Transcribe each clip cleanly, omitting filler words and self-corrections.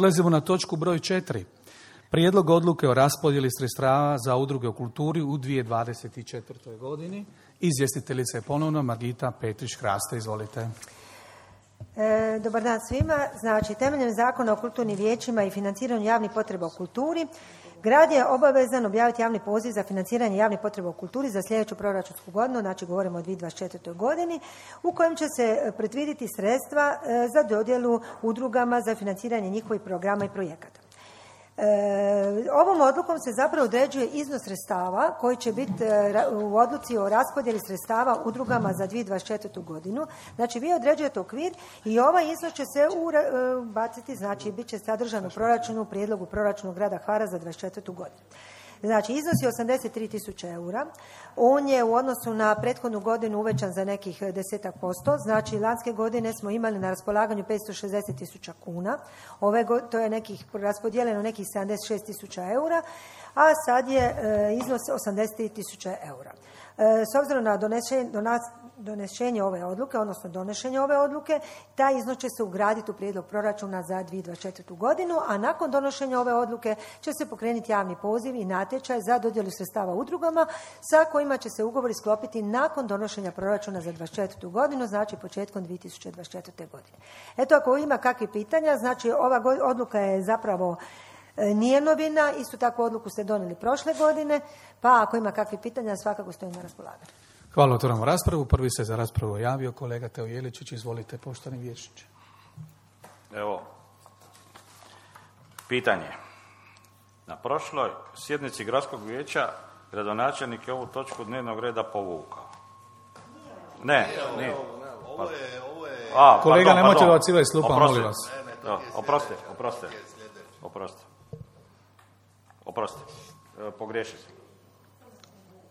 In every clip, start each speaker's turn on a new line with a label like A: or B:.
A: Prelazimo na točku broj 4. Prijedlog odluke o raspodjeli sredstava za udruge u kulturi u 2024. godini. Izvjestiteljica je ponovno Margita Petrić-Hraste. Izvolite.
B: Dobar dan svima. Znači, temeljem Zakona o kulturnim vijećima i financiranju javnih potreba u kulturi, grad je obavezan objaviti javni poziv za financiranje javnih potreba u kulturi za sljedeću proračunsku godinu, znači govorimo o 2024. godini, u kojem će se predvidjeti sredstva za dodjelu udrugama za financiranje njihovih programa i projekata. Ovom odlukom se zapravo određuje iznos sredstava koji će biti u odluci o raspodjeli sredstava udrugama za 2024. godinu. Znači, vi određujete okvir i ovaj iznos će se baciti, znači bit će sadržan u proračunu, prijedlogu proračuna grada Hvara za 2024. godinu. Znači, iznos je 83.000 eura. On je u odnosu na prethodnu godinu uvećan za nekih 10%. Znači, lanjske godine smo imali na raspolaganju 560.000 kuna. To je raspodijeljeno nekih 76.000 eura, a sad je iznos 83.000 eura. S obzirom na donošenje ove odluke, taj iznos će se ugraditi u prijedlog proračuna za 2024. godinu, a nakon donošenja ove odluke će se pokrenuti javni poziv i natječaj za dodjelu sredstava udrugama sa kojima će se ugovori sklopiti nakon donošenja proračuna za 2024. godinu, znači početkom 2024. godine. Eto, ako ima kakvih pitanja, znači ova odluka je zapravo nije novina, istu takvu odluku ste donijeli prošle godine, pa ako ima kakvih pitanja, svakako stojim na raspolaganju.
A: Hvala, otvoramo raspravu. Prvi se za raspravu javio kolega Teo Jeličić. Izvolite, poštovani vijećniče.
C: Evo, pitanje. Na prošloj sjednici gradskog vijeća gradonačelnik je ovu točku dnevnog reda povukao. Ne, nije.
A: Kolega, nemojte dobacivati s klupa, molim vas.
C: Oprostite.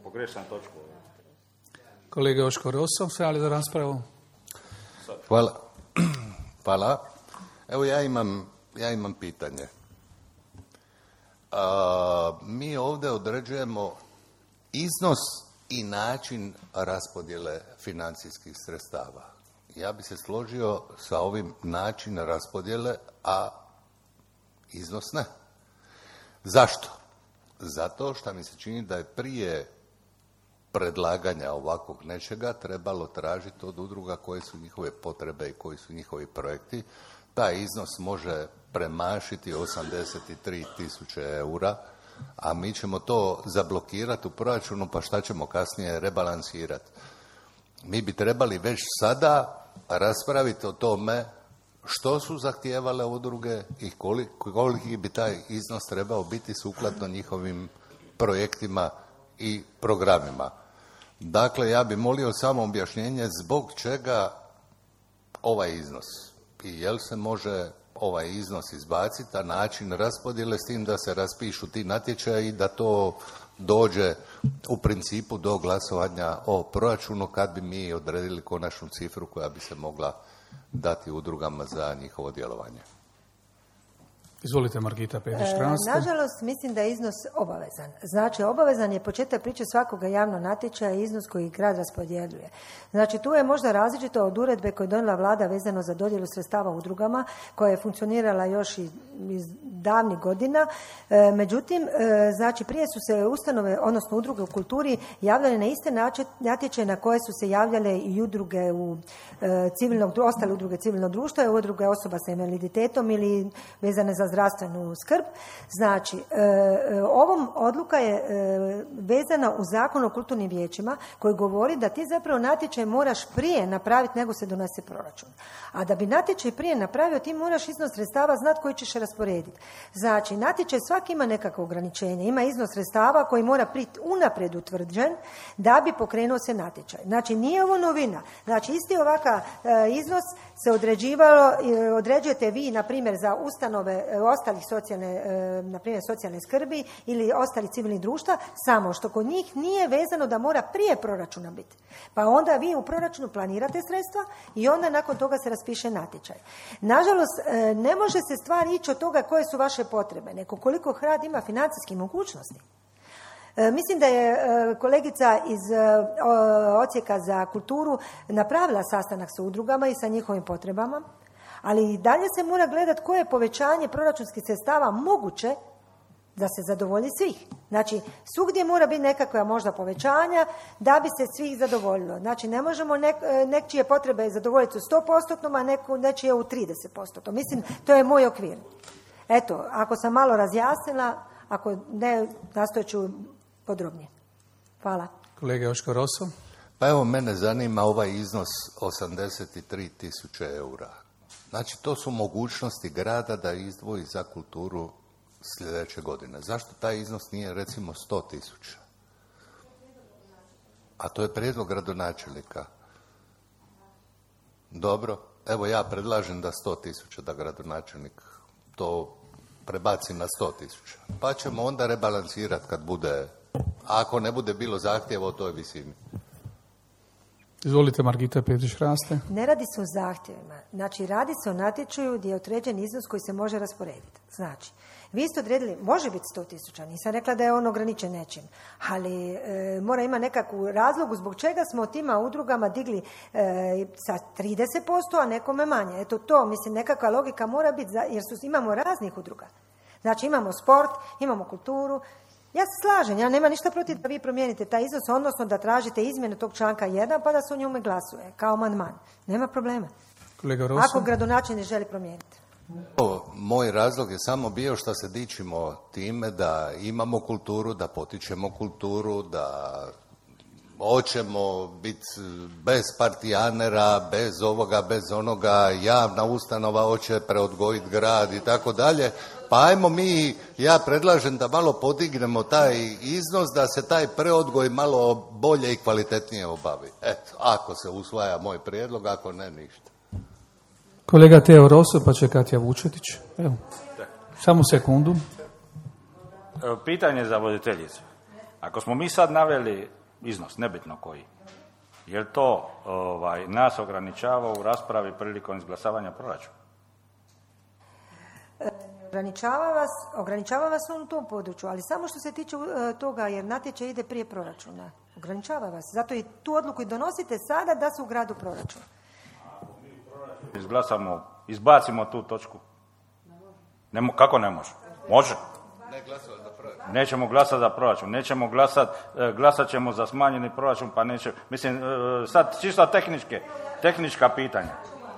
C: Pogriješio sam točku.
A: Kolega Joško Rosso se javlja za raspravu.
D: Hvala. Evo ja imam pitanje. Mi ovdje određujemo iznos i način raspodjele financijskih sredstava. Ja bi se složio sa ovim način raspodjele, a iznos ne. Zašto? Zato što mi se čini da je prije predlaganja ovakvog nečega trebalo tražiti od udruga koje su njihove potrebe i koji su njihovi projekti. Taj iznos može premašiti 83.000 eura, a mi ćemo to zablokirati u proračunu, pa šta ćemo kasnije rebalansirati. Mi bi trebali već sada raspraviti o tome što su zahtijevale udruge i koliki bi taj iznos trebao biti sukladno njihovim projektima i programima. Dakle, ja bih molio samo objašnjenje zbog čega ovaj iznos i jel se može ovaj iznos izbaciti, a način raspodjele s tim da se raspišu ti natječaji i da to dođe u principu do glasovanja o proračunu kad bi mi odredili konačnu cifru koja bi se mogla dati udrugama za njihovo djelovanje.
A: Izvolite, Margita Petrić-Hraste.
B: Nažalost, mislim da je iznos obavezan. Znači, obavezan je početak priče svakoga javnog natječaja i iznos koji grad raspodjeljuje. Znači, tu je možda različito od uredbe koju je donijela vlada vezano za dodjelu sredstava udrugama, koja je funkcionirala još iz davnih godina. Međutim, znači, prije su se ustanove, odnosno udruge u kulturi, javljale na iste natječaje na koje su se javljale i udruge ostale udruge civilnog društva i udruge osoba sa invaliditetom ili vezane za zdravstvenu skrb. Znači, ovom odluka je vezana u Zakon o kulturnim vijećima koji govori da ti zapravo natječaj moraš prije napraviti nego se donese proračun. A da bi natječaj prije napravio, ti moraš iznos sredstava znati koji ćeš rasporediti. Znači, natječaj svaki ima nekakvo ograničenje, ima iznos sredstava koji mora biti unaprijed utvrđen da bi pokrenuo se natječaj. Znači, nije ovo novina. Znači, isti ovakav iznos se određujete vi, na primjer, za ustanove ostalih socijalne skrbi ili ostalih civilnih društva, samo što kod njih nije vezano da mora prije proračuna biti. Pa onda vi u proračunu planirate sredstva i onda nakon toga se raspiše natječaj. Nažalost, ne može se stvar ići od toga koje su vaše potrebe, nego koliko grad ima financijskih mogućnosti. Mislim da je kolegica iz Odsjeka za kulturu napravila sastanak sa udrugama i sa njihovim potrebama, Ali i dalje se mora gledati koje je povećanje proračunskih sredstava moguće da se zadovolji svih. Znači, svugdje mora biti nekakva možda povećanja da bi se svih zadovoljilo. Znači, ne možemo nečije potrebe zadovoljiti u 100%, a nečije u 30%. Mislim, to je moj okvir. Eto, ako sam malo razjasnila, ako ne, nastojat ću podrobnije. Hvala.
A: Kolega Joško Roso.
D: Pa evo, mene zanima ovaj iznos 83.000 eura. Znači, to su mogućnosti grada da izdvoji za kulturu sljedeće godine. Zašto taj iznos nije recimo 100.000? A to je prijedlog gradonačelnika. Dobro, evo ja predlažem da 100.000 da gradonačelnik to prebaci na 100.000. Pa ćemo onda rebalansirati kad bude, ako ne bude bilo zahtjeva o toj visini.
A: Izvolite, Margita Petrić-Hraste.
B: Ne radi se o zahtjevima. Znači, radi se o natječaju gdje je određen iznos koji se može rasporediti. Znači, vi ste odredili, može biti 100.000, nisam rekla da je on ograničen nečim, ali mora ima nekakvu razlogu zbog čega smo tima udrugama digli sa 30%, a nekome manje. Eto to, mislim, nekakva logika mora biti, jer imamo raznih udruga. Znači, imamo sport, imamo kulturu. Ja se slažem, ja nema ništa protiv da vi promijenite taj iznos, odnosno da tražite izmjenu tog članka 1 pa da se o njome glasuje, kao amandman. Nema problema.
A: Kolega Roso.
B: Ako gradonačelnik želi promijeniti.
D: Moj razlog je samo bio što se dičimo time da imamo kulturu, da potičemo kulturu, da hoćemo biti bez partijanera, bez ovoga, bez onoga, javna ustanova hoće preodgojiti grad i tako dalje. Pa ajmo mi, ja predlažem da malo podignemo taj iznos, da se taj preodgoj malo bolje i kvalitetnije obavi. Eto, ako se usvaja moj prijedlog, ako ne, ništa.
A: Kolega Teo Roso, pa će Katja Vučetić. Evo, samo sekundu.
C: Pitanje za voditeljicu. Ako smo mi sad naveli iznos, nebitno koji, je li to nas ograničava u raspravi prilikom izglasavanja proračuna?
B: Ograničava vas u tom području, ali samo što se tiče toga, jer natječaj ide prije proračuna. Ograničava vas. Zato i tu odluku i donosite sada da se ugradu proračun.
C: Izglasamo, izbacimo tu točku. Kako ne može? Može. Nećemo glasati za proračun, nećemo glasat ćemo za smanjeni proračun, pa neće, mislim, sad čisto tehnička pitanja.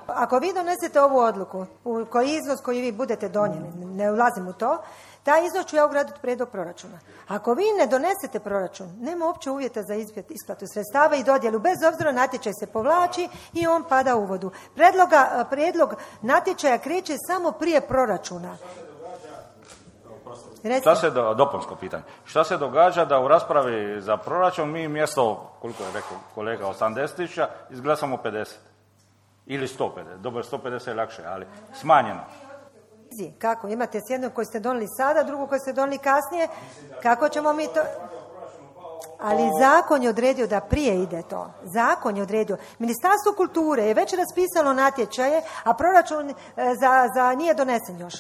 B: Ako vi donesete ovu odluku, koji iznos koji vi budete donijeli, ne ulazim u to, taj iznos ću ja ugraditi prijedlog proračuna. Ako vi ne donesete proračun, nema uopće uvjeta za isplatu sredstava i dodjelu, bez obzira natječaj se povlači i on pada u vodu. Prijedlog natječaja kreće samo prije proračuna.
C: Dopunsko pitanje. Šta se događa da u raspravi za proračun mi mjesto, koliko je rekao kolega, 80.000, izglasamo 50? Ili 150. Dobro, 150 je lakše, ali smanjeno.
B: Kako? Imate s jednog koji ste donijeli sada, drugu koji ste donijeli kasnije. Kako ćemo mi to... Ali zakon je odredio da prije ide to. Zakon je odredio. Ministarstvo kulture je već raspisalo natječaje, a proračun za nije donesen još.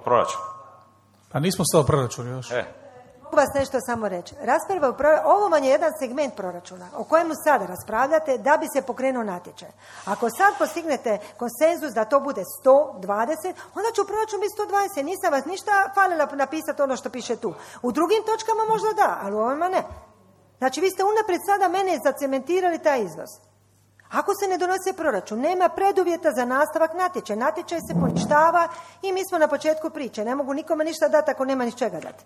C: Proračun.
A: Pa nismo stao proračun još.
B: Mogu vas nešto samo reći. Ovo vam je jedan segment proračuna o kojemu sada raspravljate da bi se pokrenuo natječaj. Ako sad postignete konsenzus da to bude 120, onda će u proračunu biti 120. Nisam vas ništa falila napisati ono što piše tu. U drugim točkama možda da, ali u ovima ne. Znači, vi ste unaprijed sada mene zacementirali taj iznos. Ako se ne donosi proračun, nema preduvjeta za nastavak natječaja. Natječaj se poništava i mi smo na početku priče. Ne mogu nikome ništa dati ako nema ni čega dati.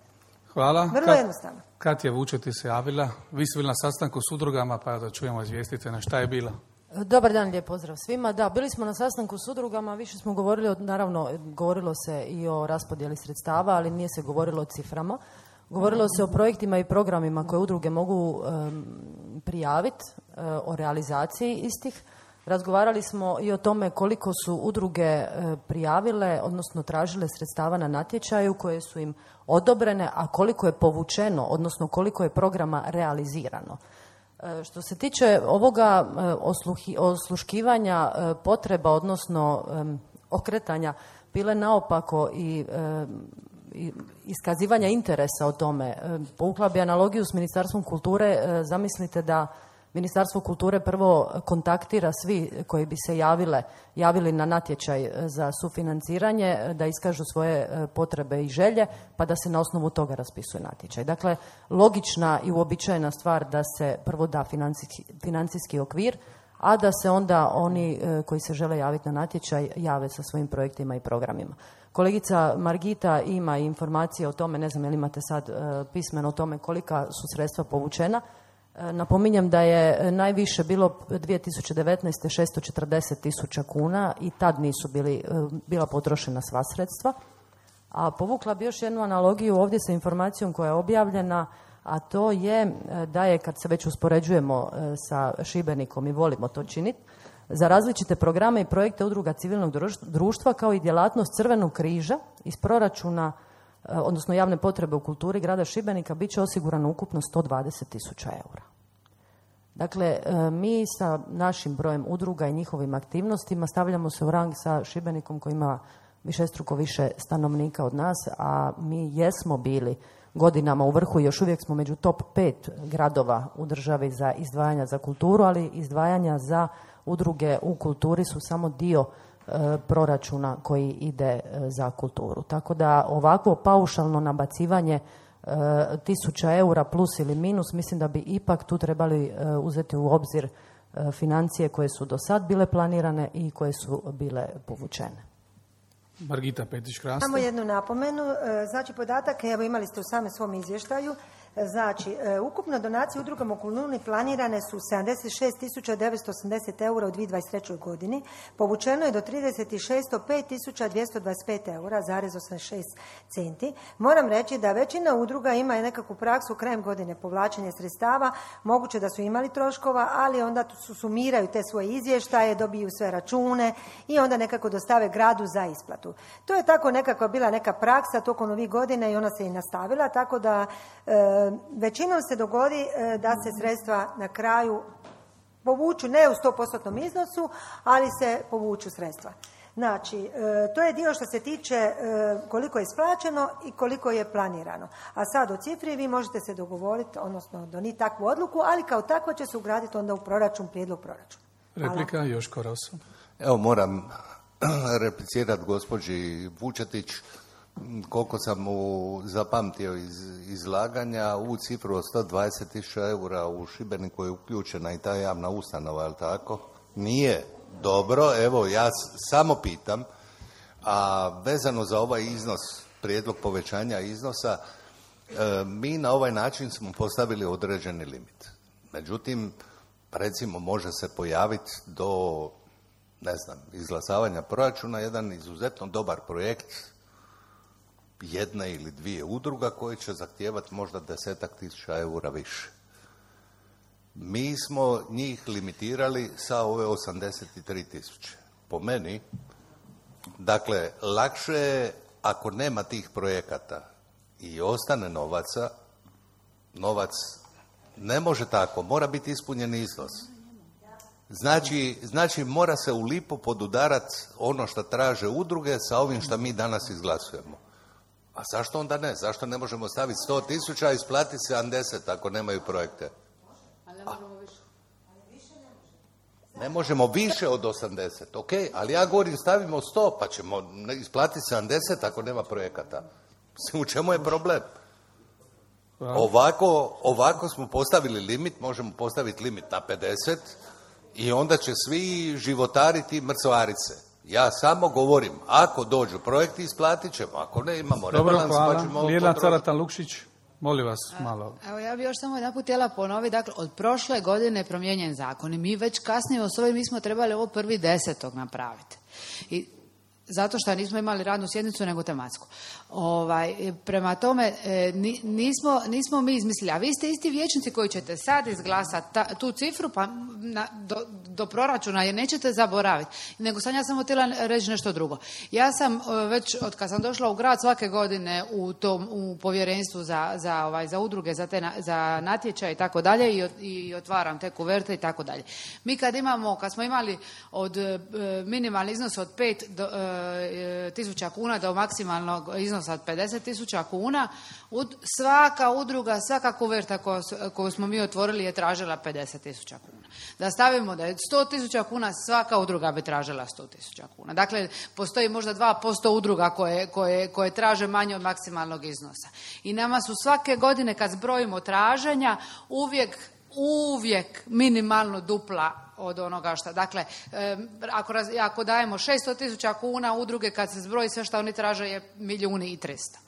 A: Hvala.
B: Vrlo jednostavno.
A: Katja Vučetić se javila. Vi ste bili na sastanku s udrugama, pa da čujemo, izvijestite na šta je bila.
E: Dobar dan, lijep pozdrav svima. Da, bili smo na sastanku s udrugama, više smo govorili, naravno, govorilo se i o raspodjeli sredstava, ali nije se govorilo o ciframa. Govorilo se o projektima i programima koje udruge mogu prijaviti, o realizaciji istih. Razgovarali smo i o tome koliko su udruge prijavile, odnosno tražile sredstava na natječaju koje su im odobrene, a koliko je povučeno, odnosno koliko je programa realizirano. Što se tiče ovoga osluškivanja potreba, odnosno okretanja pile naopako i iskazivanja interesa o tome, povukla bi analogiju s Ministarstvom kulture, zamislite da Ministarstvo kulture prvo kontaktira svi koji bi se javili na natječaj za sufinanciranje, da iskažu svoje potrebe i želje, pa da se na osnovu toga raspisuje natječaj. Dakle, logična i uobičajena stvar da se prvo da financijski okvir, a da se onda oni koji se žele javiti na natječaj jave sa svojim projektima i programima. Kolegica Margita ima informacije o tome, ne znam je li imate sad pismeno o tome kolika su sredstva povučena. Napominjem da je najviše bilo 2019. 640.000 kuna i tad nisu bila potrošena sva sredstva. A povukla bi još jednu analogiju ovdje sa informacijom koja je objavljena, a to je da je, kad se već uspoređujemo sa Šibenikom i volimo to činiti, za različite programe i projekte udruga civilnog društva kao i djelatnost Crvenog križa iz proračuna, odnosno javne potrebe u kulturi grada Šibenika, bit će osigurano ukupno 120.000 eura. Dakle, mi sa našim brojem udruga i njihovim aktivnostima stavljamo se u rang sa Šibenikom koji ima višestruko više stanovnika od nas, a mi jesmo bili godinama u vrhu i još uvijek smo među top 5 gradova u državi za izdvajanja za kulturu, ali izdvajanja za udruge u kulturi su samo dio proračuna koji ide za kulturu. Tako da ovakvo paušalno nabacivanje 1.000 eura plus ili minus, mislim da bi ipak tu trebali uzeti u obzir financije koje su do sad bile planirane i koje su bile povučene.
A: Margita Petrić-Kraster.
B: Samo jednu napomenu. Znači, podatak, evo imali ste u samom svom izvještaju, znači, ukupno donacije udrugama u kulturi planirane su 76.980 eura u 2023. godini. Povučeno je do 36. 5.225 eura, zarez 86 centi. Moram reći da većina udruga ima nekakvu praksu krajem godine povlačenja sredstava. Moguće da su imali troškova, ali onda sumiraju te svoje izvještaje, dobiju sve račune i onda nekako dostave gradu za isplatu. To je tako nekako bila neka praksa tokom ovih godina i ona se i nastavila, tako da većinom se dogodi da se sredstva na kraju povuču, ne u 100% iznosu, ali se povuču sredstva. Znači, to je dio što se tiče koliko je isplaćeno i koliko je planirano. A sad o cifri vi možete se dogovoriti, odnosno donijeti takvu odluku, ali kao takva će se ugraditi onda u proračun, prijedlog proračuna.
A: Replika, Joško Rosso.
D: Evo, moram replicirati gospođi Vučetić. Koliko sam mu zapamtio iz izlaganja, u cifru od 120.000 eura u Šibeniku je uključena i ta javna ustanova, je li tako? Nije dobro, evo ja samo pitam, a vezano za ovaj iznos, prijedlog povećanja iznosa, mi na ovaj način smo postavili određeni limit. Međutim, recimo može se pojaviti do, ne znam, izglasavanja proračuna jedan izuzetno dobar projekt jedne ili dvije udruga koje će zahtijevati možda 10.000 eura više. Mi smo njih limitirali sa ove 83.000. Po meni, dakle, lakše je ako nema tih projekata i ostane novaca, novac ne može tako, mora biti ispunjen iznos. Znači mora se u lipu podudarati ono što traže udruge sa ovim što mi danas izglasujemo. A zašto onda ne? Zašto ne možemo staviti 100.000 i isplatiti 70 ako nemaju projekte? Ne možemo više od 80, ok, ali ja govorim stavimo 100 pa ćemo isplatiti 70 ako nema projekata. U čemu je problem? Ovako smo postavili limit, možemo postaviti limit na 50 i onda će svi životariti i mrcvariti se. Ja samo govorim, ako dođu projekti isplatit ćemo, ako ne imamo rebalans pa ćemo...
A: Dobro, Lijela Carata-Lukšić, molim vas malo.
F: Evo ja bih još samo jedanput htjela ponoviti, dakle od prošle godine je promijenjen zakon i mi već kasnije s ovim mi smo trebali ovo 1.10. napraviti. I zato što nismo imali radnu sjednicu nego tematsku. Prema tome nismo mi izmislili, a vi ste isti vijećnici koji ćete sad izglasati tu cifru pa do proračuna jer nećete zaboraviti. Nego sam ja samo htjela reći nešto drugo. Ja sam već od kad sam došla u grad svake godine u povjerenstvu za udruge, za natječaj i tako dalje i otvaram te kuverte i tako dalje. Mi kad smo imali od minimalni iznos od 5 tisuća kuna do maksimalnog iznosa od 50 tisuća kuna, svaka udruga, svaka kuverta koju smo mi otvorili je tražila 50 tisuća kuna. Da stavimo da je 100 tisuća kuna, svaka udruga bi tražila 100 tisuća kuna. Dakle, postoji možda 2% udruga koje traže manje od maksimalnog iznosa. I nama su svake godine kad zbrojimo traženja uvijek minimalno dupla od onoga što. Dakle, ako dajemo 600 tisuća kuna, udruge kad se zbroji sve što oni traže je 1.300.000.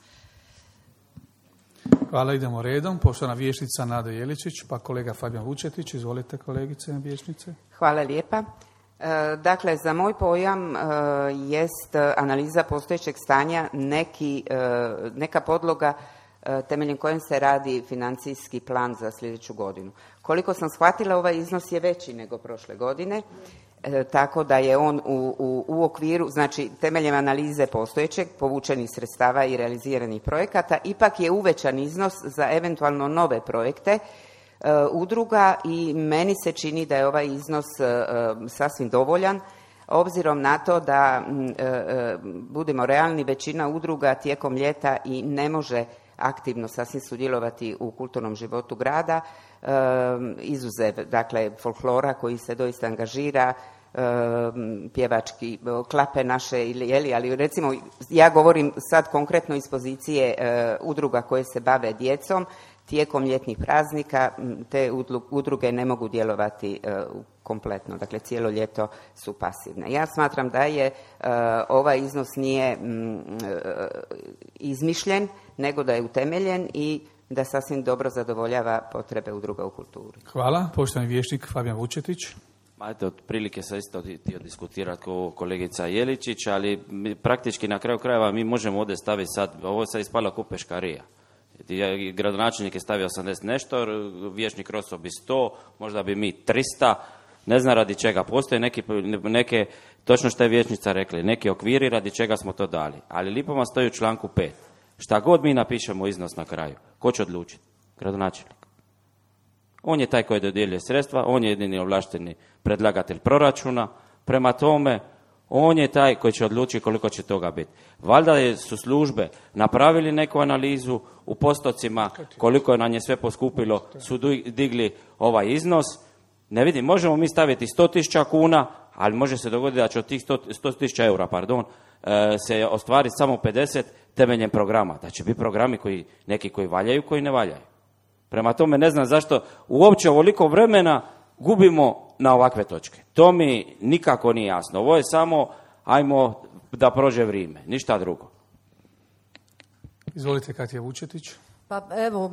A: Hvala, idemo redom. Poštovana vijećnica Nada Jeličić, pa kolega Fabijan Vučetić. Izvolite, kolegice vijećnice.
G: Hvala lijepa. Dakle, za moj pojam jest analiza postojećeg stanja neka podloga temeljem kojem se radi financijski plan za sljedeću godinu. Koliko sam shvatila, ovaj iznos je veći nego prošle godine, tako da je on u okviru, znači temeljem analize postojećeg, povučenih sredstava i realiziranih projekata, ipak je uvećan iznos za eventualno nove projekte udruga i meni se čini da je ovaj iznos sasvim dovoljan, obzirom na to da, budemo realni, većina udruga tijekom ljeta i ne može aktivno sasvim sudjelovati u kulturnom životu grada, izuzev, dakle, folklora koji se doista angažira, pjevački klape naše, ali recimo ja govorim sad konkretno iz pozicije udruga koje se bave djecom. Tijekom ljetnih praznika te udruge ne mogu djelovati kompletno, dakle cijelo ljeto su pasivne. Ja smatram da je ovaj iznos nije izmišljen, nego da je utemeljen i da sasvim dobro zadovoljava potrebe udruga u kulturi.
A: Hvala. Poštovani vijećnik Fabijan Vučetić.
H: Eto, otprilike sam isto htio diskutirati kao kolegica Jeličić, ali praktički na kraju krajeva mi možemo ovdje staviti sad, ovo sad ispala ko peškarija. Gradonačelnik je stavio 80 nešto, vijećnik Roso bi 100, možda bi mi 300, ne znam radi čega. Postoje neke, točno što je vijećnica rekli, neki okviri radi čega smo to dali. Ali lipo vam stoji u članku 5. Šta god mi napišemo iznos na kraju, ko će odlučiti? Gradonačelnik. On je taj koji dodjeljuje sredstva, on je jedini ovlašteni predlagatelj proračuna, prema tome on je taj koji će odlučiti koliko će toga biti. Valjda su službe napravili neku analizu u postocima, koliko je na nje sve poskupilo, su digli ovaj iznos. Ne vidim, možemo mi staviti 100.000 kuna, ali može se dogoditi da će od tih 100.000 eura, se ostvariti samo 50 temeljem programa. Da će biti programi neki koji valjaju, koji ne valjaju. Prema tome ne znam zašto uopće ovoliko vremena gubimo na ovakve točke. To mi nikako nije jasno. Ovo je samo ajmo da prođe vrijeme, ništa drugo.
A: Izvolite, Katja Vučetić.
E: Pa evo,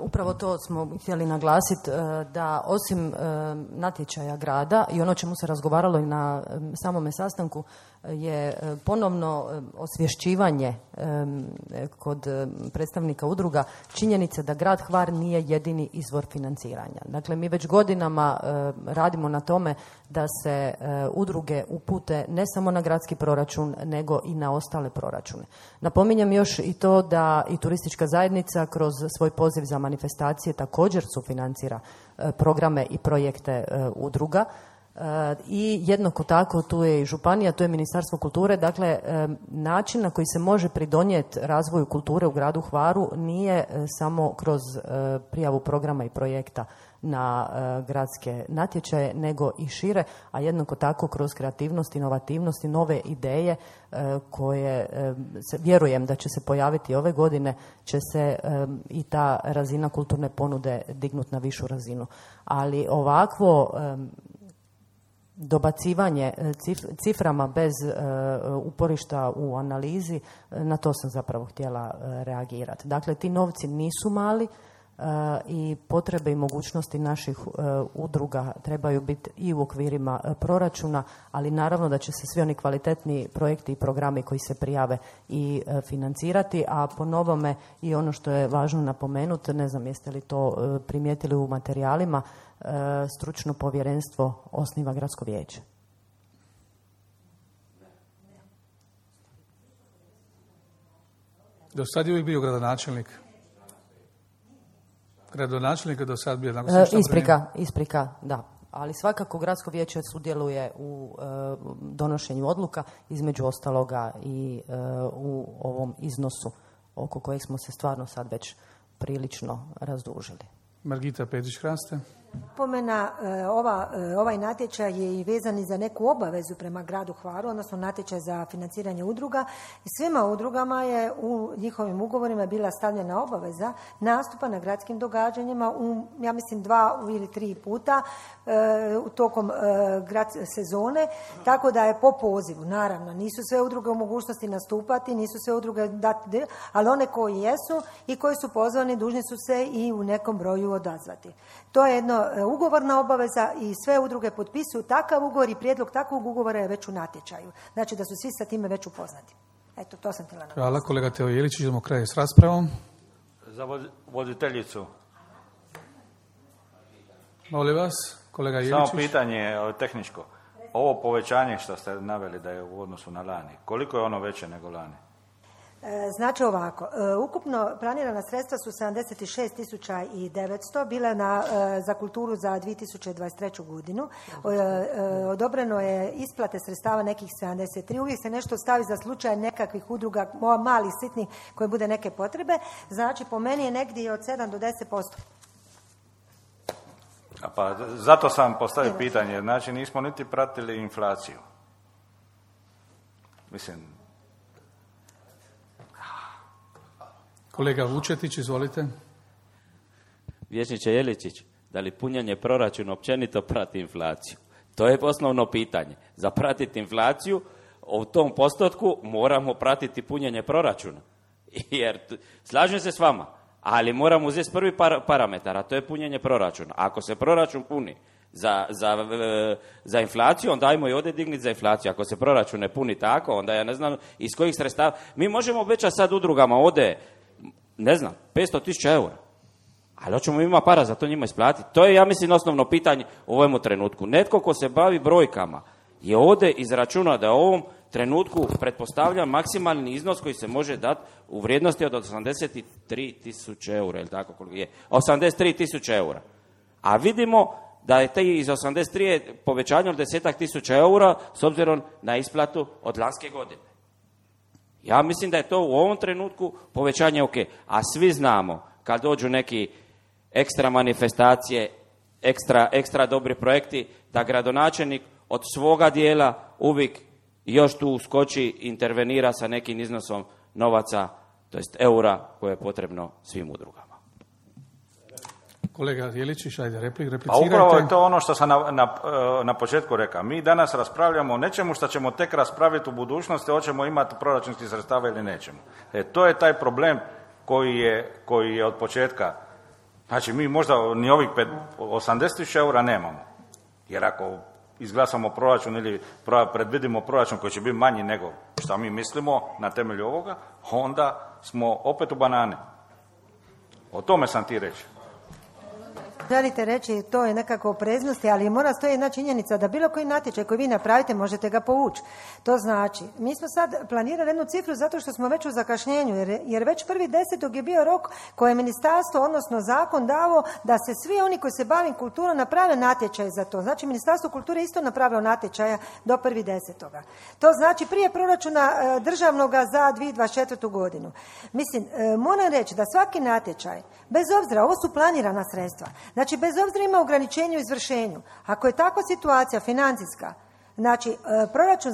E: upravo to smo htjeli naglasiti, da osim natječaja grada i ono čemu se razgovaralo i na samome sastanku je ponovno osvješćivanje kod predstavnika udruga činjenice da grad Hvar nije jedini izvor financiranja. Dakle, mi već godinama radimo na tome da se udruge upute ne samo na gradski proračun, nego i na ostale proračune. Napominjem još i to da i turistička zajednica kroz svoj poziv za manifestacije također sufinancira programe i projekte udruga. I jednako tako tu je i županija, tu je Ministarstvo kulture. Dakle, način na koji se može pridonijeti razvoju kulture u gradu Hvaru nije samo kroz prijavu programa i projekta na gradske natječaje, nego i šire, a jednako tako kroz kreativnost, inovativnost i nove ideje koje vjerujem da će se pojaviti ove godine, će se i ta razina kulturne ponude dignuti na višu razinu. Ali ovakvo dobacivanje ciframa bez uporišta u analizi, na to sam zapravo htjela reagirati. Dakle, ti novci nisu mali i potrebe i mogućnosti naših udruga trebaju biti i u okvirima proračuna, ali naravno da će se svi oni kvalitetni projekti i programi koji se prijave i financirati, a po novome i ono što je važno napomenuti, ne znam jeste li to primijetili u materijalima, stručno povjerenstvo osniva gradsko vijeće.
A: Do sad je uvijek bio gradonačelnik. Gradonačelnik je do sad bio...
E: Isprika, da. Ali svakako gradsko vijeće sudjeluje u donošenju odluka, između ostaloga i u ovom iznosu oko kojeg smo se stvarno sad već prilično razdužili.
A: Margita Petrić-Hraste.
B: Pomena, ovaj natječaj je i vezan i za neku obavezu prema gradu Hvaru, odnosno natječaj za financiranje udruga. I svima udrugama je u njihovim ugovorima bila stavljena obaveza nastupa na gradskim događanjima ja mislim 2 ili 3 puta tokom sezone, tako da je po pozivu. Naravno, nisu sve udruge u mogućnosti nastupati, nisu sve udruge dati, ali one koji jesu i koji su pozvani dužni su se i u nekom broju odazvati. To je jedno ugovorna obaveza i sve udruge potpisuju takav ugovor i prijedlog takvog ugovora je već u natječaju. Znači da su svi sa time već upoznati. Eto, to sam htjela navesti.
A: Hvala, kolega Teo Jelić, idemo kraj s raspravom.
C: Za voditeljicu.
A: Molim vas, kolega Jeličić.
C: Samo pitanje tehničko. Ovo povećanje što ste naveli da je u odnosu na lani, koliko je ono veće nego lani?
B: Znači ovako, ukupno planirana sredstva su 76.900, bile za kulturu za 2023. godinu. Odobreno je isplate sredstava nekih 73. Uvijek se nešto stavi za slučaj nekakvih udruga, malih, sitnih, koje bude neke potrebe. Znači po meni je negdje od 7 do 10%.
C: Pa zato sam postavio pitanje, znači nismo niti pratili inflaciju. Mislim...
A: Kolega Vučetić, izvolite.
H: Vijećniče Jeličić, da li punjenje proračuna općenito prati inflaciju? To je osnovno pitanje. Za pratiti inflaciju, u tom postotku moramo pratiti punjenje proračuna. Jer, slažem se s vama, ali moramo uzeti prvi parametar, a to je punjenje proračuna. Ako se proračun puni za inflaciju, onda ajmo i ovdje digniti za inflaciju. Ako se proračun ne puni tako, onda ja ne znam iz kojih sredstava. Mi možemo obećati sad udrugama ovdje, ne znam, 500.000 eura. Ali hoćemo ima para za to njima isplatiti. To je, ja mislim, osnovno pitanje u ovom trenutku. Netko ko se bavi brojkama je ovdje izračunao da u ovom trenutku pretpostavlja maksimalni iznos koji se može dati u vrijednosti od 83.000 eura, ili tako koliko je? 83.000 eura. A vidimo da je taj iz 83 povećanje od 10.000 eura s obzirom na isplatu od lanske godine. Ja mislim da je to u ovom trenutku povećanje ok. A svi znamo kad dođu neki ekstra manifestacije, ekstra dobri projekti, da gradonačelnik od svoga dijela uvijek još tu uskoči, intervenira sa nekim iznosom novaca, to jest eura koje je potrebno svim udrugama.
A: Kolega Jeličić, ajde, replicirajte.
C: A upravo je to ono što sam na početku rekao. Mi danas raspravljamo o nečemu što ćemo tek raspraviti u budućnosti, hoćemo imati proračunskih sredstava ili nećemo. To je taj problem koji je od početka. Znači, mi možda ni ovih 80.000 eura nemamo. Jer ako izglasamo proračun ili predvidimo proračun koji će biti manji nego što mi mislimo na temelju ovoga, onda smo opet u banane. O tome sam ti reći.
B: Želite reći, to je nekako opreznosti, ali mora stoji jedna činjenica da bilo koji natječaj koji vi napravite možete ga povući. To znači, mi smo sad planirali jednu cifru zato što smo već u zakašnjenju, jer već 1.10. je bio rok koje je ministarstvo, odnosno zakon dao da se svi oni koji se bavim kulturom naprave natječaj za to. Znači, Ministarstvo kulture isto napravilo natječaja do 1.10. To znači prije proračuna državnoga za 2024. godinu. Mislim, moram reći da svaki natječaj, bez obzira, ovo su planirana sredstva, znači, bez obzira ima ograničenje u izvršenju. Ako je takva situacija financijska, znači,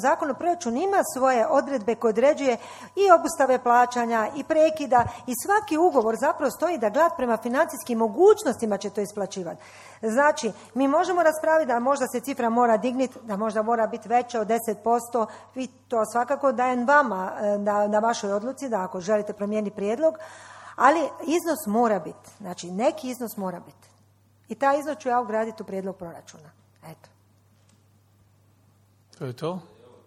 B: zakon o proračunu ima svoje odredbe koje određuje i obustave plaćanja i prekida i svaki ugovor zapravo stoji da gled prema financijskim mogućnostima će to isplaćivati. Znači, mi možemo raspraviti da možda se cifra mora digniti, da možda mora biti veća od 10%, vi to svakako dajem vama na vašoj odluci, da ako želite promijeniti prijedlog, ali iznos mora biti, znači neki iznos mora biti. I taj iznos ću ja ugraditi u prijedlog proračuna. Eto.
A: To je to.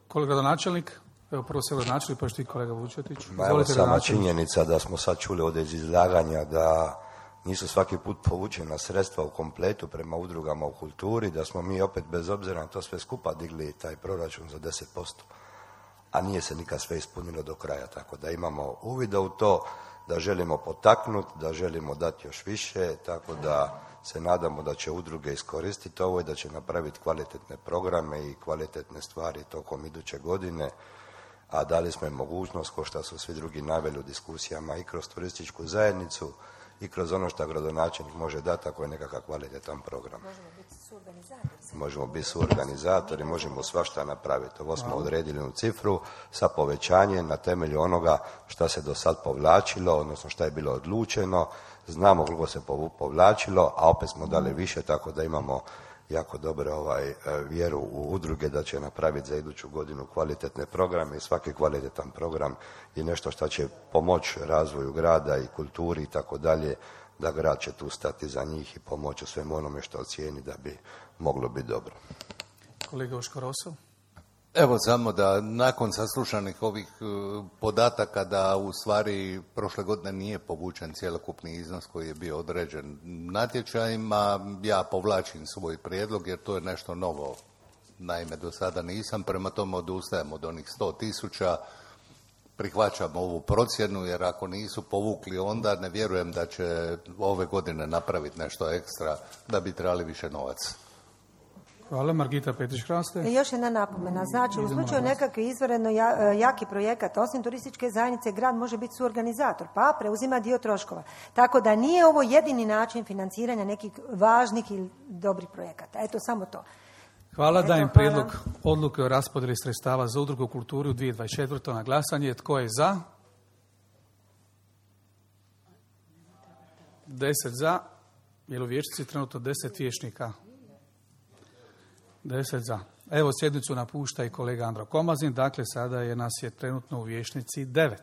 A: Kolega gradonačelnik, evo prvo se gradonačelnik, pa što i kolega Vučetić.
I: Evo sama činjenica da smo sad čuli ovdje iz izlaganja da nisu svaki put povučena sredstva u kompletu prema udrugama u kulturi, da smo mi opet bez obzira na to sve skupa digli taj proračun za 10%, a nije se nikad sve ispunilo do kraja, tako da imamo uvida u to da želimo potaknuti, da želimo dati još više, tako da se nadamo da će udruge iskoristiti ovo i da će napraviti kvalitetne programe i kvalitetne stvari tokom iduće godine, a dali smo im mogućnost, kao što su svi drugi naveli u diskusijama, i kroz turističku zajednicu i kroz ono što gradonačelnik može dati ako je nekakav kvalitetan program. Možemo biti suorganizatori, možemo svašta napraviti. Ovo smo odredili u cifru sa povećanjem na temelju onoga što se do sad povlačilo, odnosno što je bilo odlučeno. Znamo koliko se povlačilo, a opet smo dali više, tako da imamo jako dobro vjeru u udruge da će napraviti za iduću godinu kvalitetne programe i svaki kvalitetan program je nešto što će pomoći razvoju grada i kulturi i tako dalje, da grad će tu stati za njih i pomoći u svemu onome što ocijeni da bi moglo biti dobro.
A: Kolega Oškoroso?
D: Evo samo da nakon saslušanih ovih podataka da u stvari prošle godine nije povučen cjelokupni iznos koji je bio određen natječajima, ja povlačim svoj prijedlog jer to je nešto novo. Naime, do sada nisam, prema tome odustajem od onih 100.000, prihvaćam ovu procjenu jer ako nisu povukli onda ne vjerujem da će ove godine napraviti nešto ekstra da bi trebali više novaca.
A: Hvala. Margita Petrić-Hraste.
B: Još jedna napomena. Znači, u slučaju nekakvi izvanredno jaki projekat, osim turističke zajednice, grad može biti suorganizator, pa preuzima dio troškova. Tako da nije ovo jedini način financiranja nekih važnih i dobrih projekata. Eto, samo to.
A: Hvala. Dajem prijedlog odluke o raspodjeli sredstava za udrugu kulturi u 2024. na glasanje. Tko je za? 10 za. Jel u vijećnici trenutno 10 vijećnika? 10 za. Evo, sjednicu napušta i kolega Andro Komazin, dakle sada nas je trenutno u vijećnici 9.